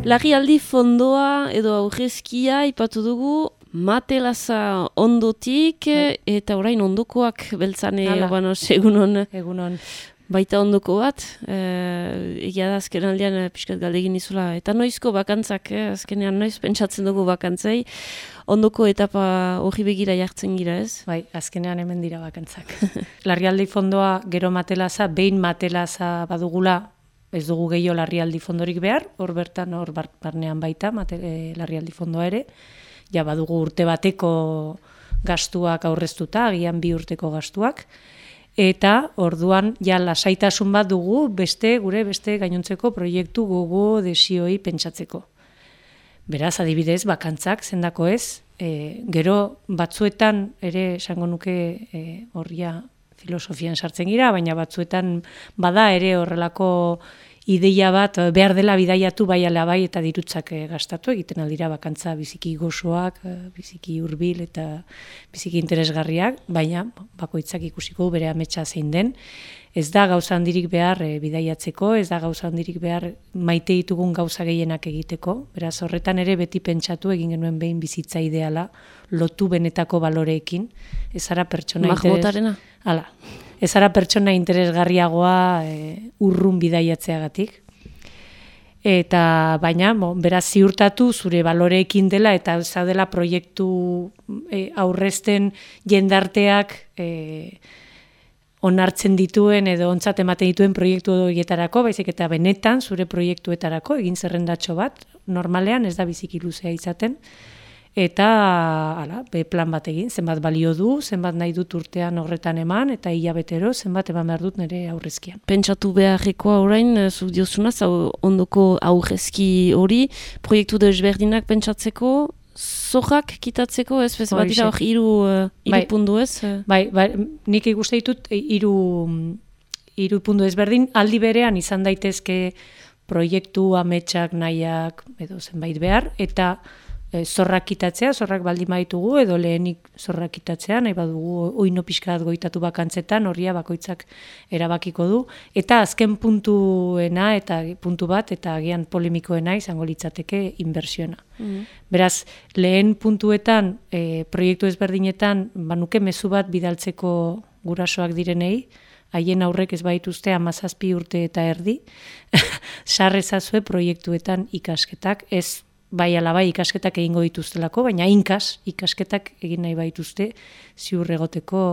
Larrialdi fondoa edo aurrezkia ipatu dugu, Matelaza ondotik, eta orain ondokoak beltzane, egunon. Egunon. Baita ondoko bat, egia da azken aldean pixkat galdegin izula. Eta noizko bakantzak, azkenean noiz pentsatzen dugu bakantzei, ondoko etapa hori begira jartzen gira, ez? Bai, azkenean hemen dira bakantzak. Larrialdi fondoa gero Matelaza, behin Matelaza badugula, ez dugu gehiago larrialdi fondorik behar, hor bertan, hor barnean baita, larrialdi fondoa ere, ja badugu urte bateko gastuak aurreztuta, agian 2 urteko gastuak, eta orduan ja lasaitasun bat dugu gure beste gainontzeko proiektu gogo desioi pentsatzeko. Beraz, adibidez, bakantzak zendako ez, gero batzuetan ere esango nuke horria filosofian sartzen gira, baina batzuetan bada ere horrelako ideia bat behar dela bidaiatu bai ala bai eta dirutzak gastatu egiten aldira bakantza biziki gozoak, biziki hurbil eta biziki interesgarriak, baina bakoitzak ikusiko bere ametsa zein den. Ez da gauza handirik behar bidaiatzeko, ez da gauza handirik behar maite ditugun gauza gehienak egiteko. Beraz, horretan ere beti pentsatu egin genuen behin bizitza ideala, lotu benetako baloreekin. Ez ara pertsona Ez ara pertsona interesgarriagoa urrun bidaiatzeagatik. Eta baina, beraz ziurtatu zure baloreekin dela eta zaudela proiektu aurrezten jendarteak onartzen dituen edo ontzat ematen dituen proiektu horietarako, baizik eta benetan zure proiektuetarako egin zerrendatxo bat, normalean ez da biziki luzea izaten, eta plan bat egin, zenbat balio du, zenbat nahi dut urtean horretan eman, eta hilabetero zenbat eman behar dut nire aurrezkian. Pentsatu beharrekoa orain, zuk diozunaz, ondoko aurrezki hori, proiektu desberdinak pentsatzeko, zorrak kitatzeko, ez? Bat dira hor hiru puntu ez? Bai, nik ikuste ditut hiru puntu ezberdin, aldi berean izan daitezke proiektu ametsak nahiak edo zenbait behar, eta zorrak kitatzea, zorrak baldin baditugu, edo lehenik zorrak kitatzea, nahi badugu oino pixkat goitatu bakantzetan, horria bakoitzak erabakiko du, eta azken puntuena, eta puntu bat, eta agian polemikoena izango litzateke inbertsiona. Beraz, lehen puntuetan, proiektu ezberdinetan, banuke mezu bat bidaltzeko gurasoak direnei, haien aurrek ez baituzte 17 urte eta erdi, sarrezazue proiektuetan ikasketak, ez bai ala bai ikasketak egingo dituztelako, baina ikasketak egin nahi baituzte ziur egoteko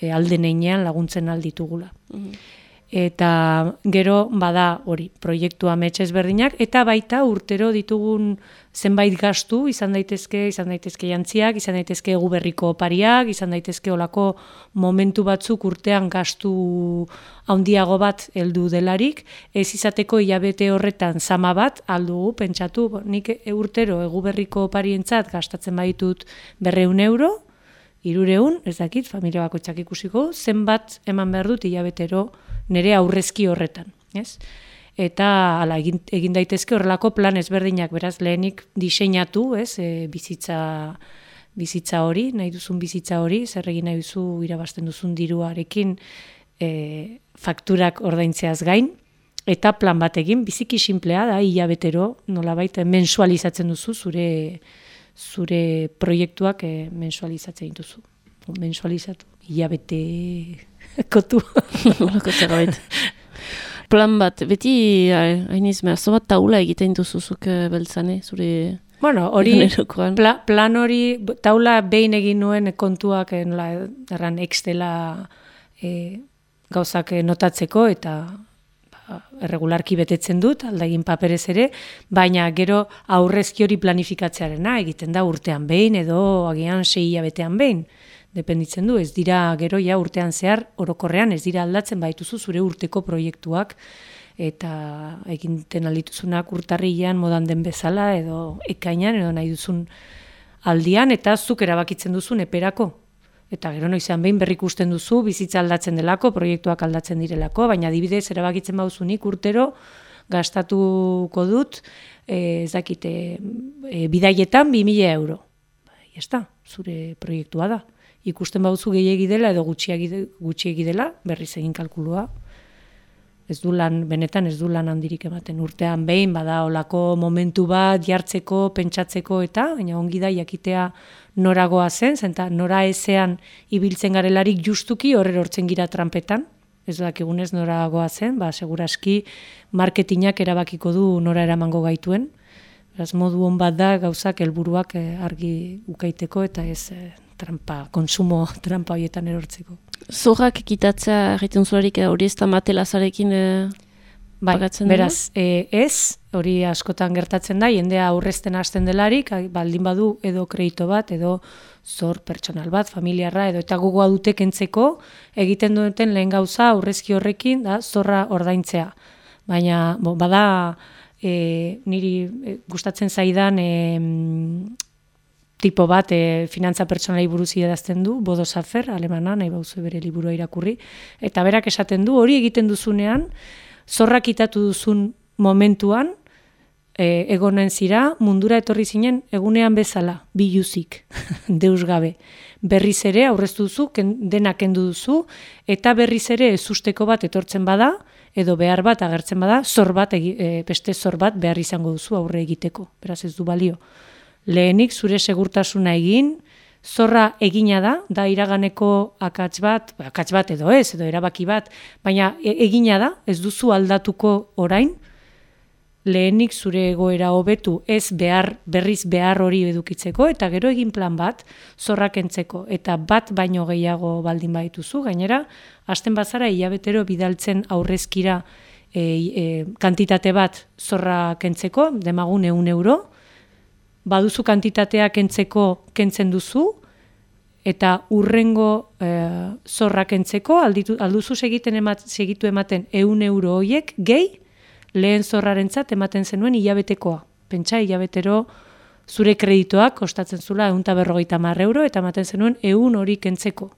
aldeneinean laguntzen alditugula. Eta gero bada hori proiektu amets ezberdinak, eta baita urtero ditugun zenbait gastu, izan daitezke jantziak, izan daitezke egu berriko opariak, izan daitezke olako momentu batzuk urtean gastu handiago bat heldu delarik, ez izateko hilabete horretan zama bat aldugu pentsatu, nik urtero egu berriko oparientzat gastatzen baditut 200 euro, 300, ez dakit, familia bakoitzak ikusiko, zenbat eman behar dut hilabetero nire aurrezki horretan, ez? Eta egin daitezke horrelako plan ezberdinak, beraz lehenik diseinatu, ez, bizitza hori, nahi duzun bizitza hori, zer egin nahi duzu irabazten duzun diruarekin fakturak ordaintzeaz gain, eta plan bat egin, biziki sinplea da, hilabetero, nolabait mensualizatzen duzu, zure proiektuak mensualizatzen dituzu. Mensualizatu, hilabete kotu. Plan bat, beti hainiz merzo bat taula egiten duzuzuk beltzane, zure... Bueno, plan hori, taula behin egin nuen kontuak erran Excela gauzak notatzeko eta erregularki betetzen dut, aldagin paperez ere, baina gero aurrezki hori planifikatzearena egiten da urtean behin edo agian 6 hilabetean behin. Dependitzen du, ez dira gero ja urtean zehar, orokorrean ez dira aldatzen baituzu zure urteko proiektuak eta egiten aldituzunak urtarrilean modan den bezala edo ekainan edo nahi duzun aldian eta zuk erabakitzen duzun eperako. Eta gero noizean behin berrikusten duzu, bizitza aldatzen delako, proiektuak aldatzen direlako, baina adibidez erabakitzen bauzunik urtero gastatuko dut, ez dakite, bidaietan 2.000 euro. Jazta, zure proiektua da. Ikusten bauzu gehiegi dela edo gutxiegi dela, berriz egin kalkulua. benetan ez du lan handirik ematen. Urtean behin bada olako momentu bat jartzeko, pentsatzeko eta, baina ongi da jakitea noragoa zen, zenta nora ezean ibiltzen garelarik justuki horrerortzen gira trampetan, ez dakigunez noragoa zen, seguraski marketingak erabakiko du nora eramango gaituen. Beraz, modu on bat da gauzak helburuak argi ukaiteko eta ez konsumo trampa horietan erortzeko. Zorrak ekitatzea egiten zularik hori ez da matelazarekin pagatzen dira? Beraz, ez, hori askotan gertatzen da, jendea aurrezten hasten delarik, baldin badu edo kredito bat, edo zor pertsonal bat, familiarra, edo eta gogoa dute kentzeko, egiten duten lehen gauza aurrezki horrekin da zorra ordaintzea. Baina, bada, niri gustatzen zaidan tipo bat finantza pertsonalei buruz idazten du, Bodo Safer, alemana, nahi bauzu bere liburua irakurri, eta berak esaten du, hori egiten duzunean, zorrak itatu duzun momentuan, egonen zira, mundura etorri zinen, egunean bezala, biluzik, deus gabe. Berriz ere, aurreztu duzu, dena kendu duzu, eta berriz ere ezusteko bat etortzen bada, edo behar bat agertzen bada, beste zor bat behar izango duzu aurre egiteko, beraz ez du balio. Lehenik zure segurtasuna egin, zorra egina da iraganeko akats bat edo ez, edo erabaki bat, baina egina da, ez duzu aldatuko orain, lehenik zure egoera hobetu ez berriz behar hori edukitzeko, eta gero egin plan bat zorra kentzeko, eta bat baino gehiago baldin baituzu, gainera, hasten bazara hilabetero bidaltzen aurrezkira kantitate bat zorra kentzeko, demagun 100 euro, baduzu kantitatea kentzen duzu, eta urrengo zorra kentzeko, alduzu segitu ematen 100 euro horiek, gehi, lehen zorrarentzat ematen zenuen hilabetekoa. Pentsa, hilabetero zure kreditoak kostatzen zula 150 euro, eta ematen zenuen 100 hori kentzeko.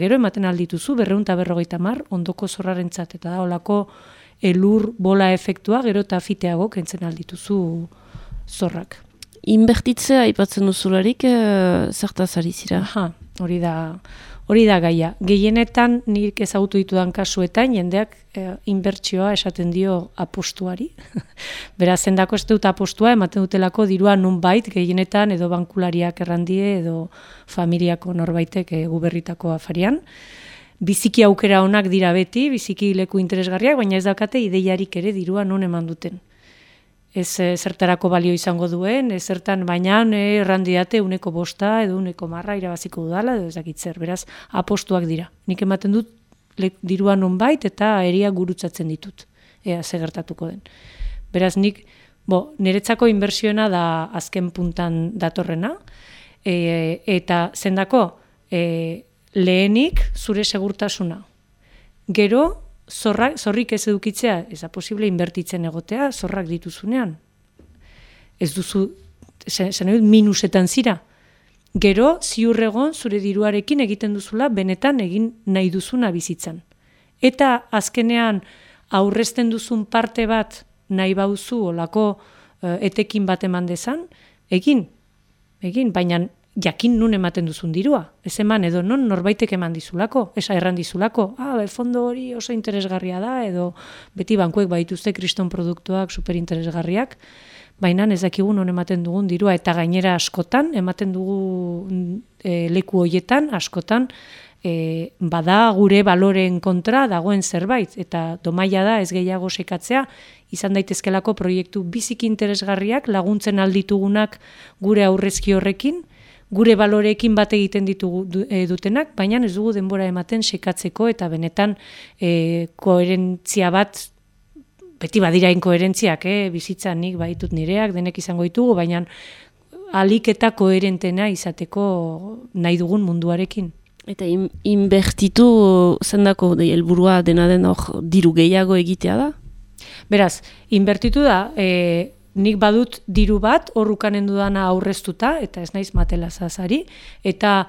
Gero ematen aldituzu 250 ondoko zorrarentzat, eta da olako elur bola efektua, gero eta fiteago kentzen aldituzu zorrak. Inbertitzea aipatzen duzularik zertaz ari zira? Hori da gaia. Gehienetan nik ezagutu ditudan kasuetan jendeak inbertsioa esaten dio apostuari. Beraz, zendako ez dut apostua ematen dutelako dirua nunbait gehienetan edo bankulariak errandie edo familiako norbaitek guberritako afarian. Biziki aukera onak dira beti, biziki leku interesgarriak, baina ez daukate ideiarik ere dirua non eman duten. Ez zertarako balio izango duen, ez zertan baina errandiate 105 edo 110 irabaziko dudala, edo ez dakit zer, beraz, apostuak dira. Nik ematen dut dirua nonbait eta eria gurutzatzen ditut, ze gertatuko den. Beraz, niretzako inbertsioena da azken puntan datorrena, eta zendako lehenik zure segurtasuna. Gero, zorrik ez edukitzea, ez da posible inbertitzen egotea, zorrak dituzunean. Ez duzu, minusetan zira. Gero, ziur egon zure diruarekin egiten duzula, benetan egin nahi duzuna bizitzan. Eta azkenean aurrezten duzun parte bat nahi bauzu olako etekin bat eman dezan, egin, baina jakin nun ematen duzun dirua. Ez eman edo non norbaitek eman dizulako, esa erran dizulako, fondo hori oso interesgarria da, edo beti bankuek baituzte kriston produktuak superinteresgarriak, baina ez dakigu non ematen dugun dirua, eta gainera askotan, ematen dugu leku hoietan, askotan, bada gure baloreen kontra dagoen zerbait, eta domaia da ez gehiago sekatzea, izan daitezkelako proiektu biziki interesgarriak, laguntzen alditugunak gure aurrezki horrekin, gure baloreekin bat egiten dutenak, baina ez dugu denbora ematen sekatzeko eta benetan koherentzia bat, beti badira inkoherentziak, bizitzan nik baitut nireak, denek izango ditugu, baina alik eta koherentena izateko nahi dugun munduarekin. Eta inbertitu zendako helburua dena den hor diru gehiago egitea da? Beraz, inbertitu da, nik badut diru bat, horrukanen dudana aurreztuta, eta ez naiz matelazazari, eta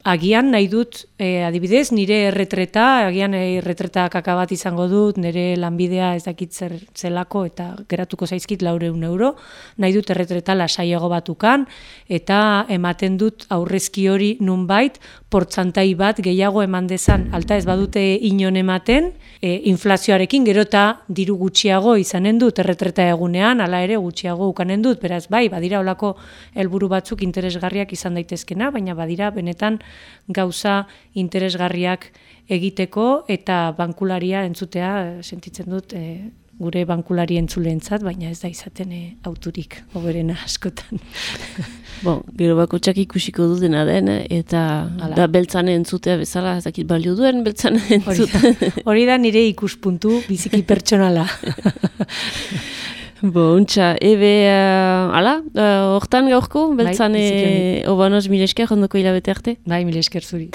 agian nahi dut, adibidez, nire erretreta, agian erretreta kaka bat izango dut, nire lanbidea ez dakit zelako eta geratuko zaizkit 400 euro, nahi dut erretreta lasaiago batukan, eta ematen dut aurrezki hori nunbait, portzantai bat gehiago eman dezan, alta ez badute inon ematen, inflazioarekin gero eta diru gutxiago izanen dut, erretreta egunean, ala ere gutxiago ukanen dut, beraz bai, badira olako helburu batzuk interesgarriak izan daitezkena, baina badira benetan gauza interesgarriak egiteko eta bankularia entzutea sentitzen dut gure bankulari entzuleentzat, baina ez da izaten auturik hoberena askotan. Gero bakotxak ikusiko dutena den, eta da beltzane entzutea bezala, ez dakit balio duen beltzane entzutea. Hori da nire ikuspuntu biziki pertsonala. Untxa, hortan gaurko, beltzane, obanoz mil esker, ondoko hilabete arte? Bai, mil esker zuri.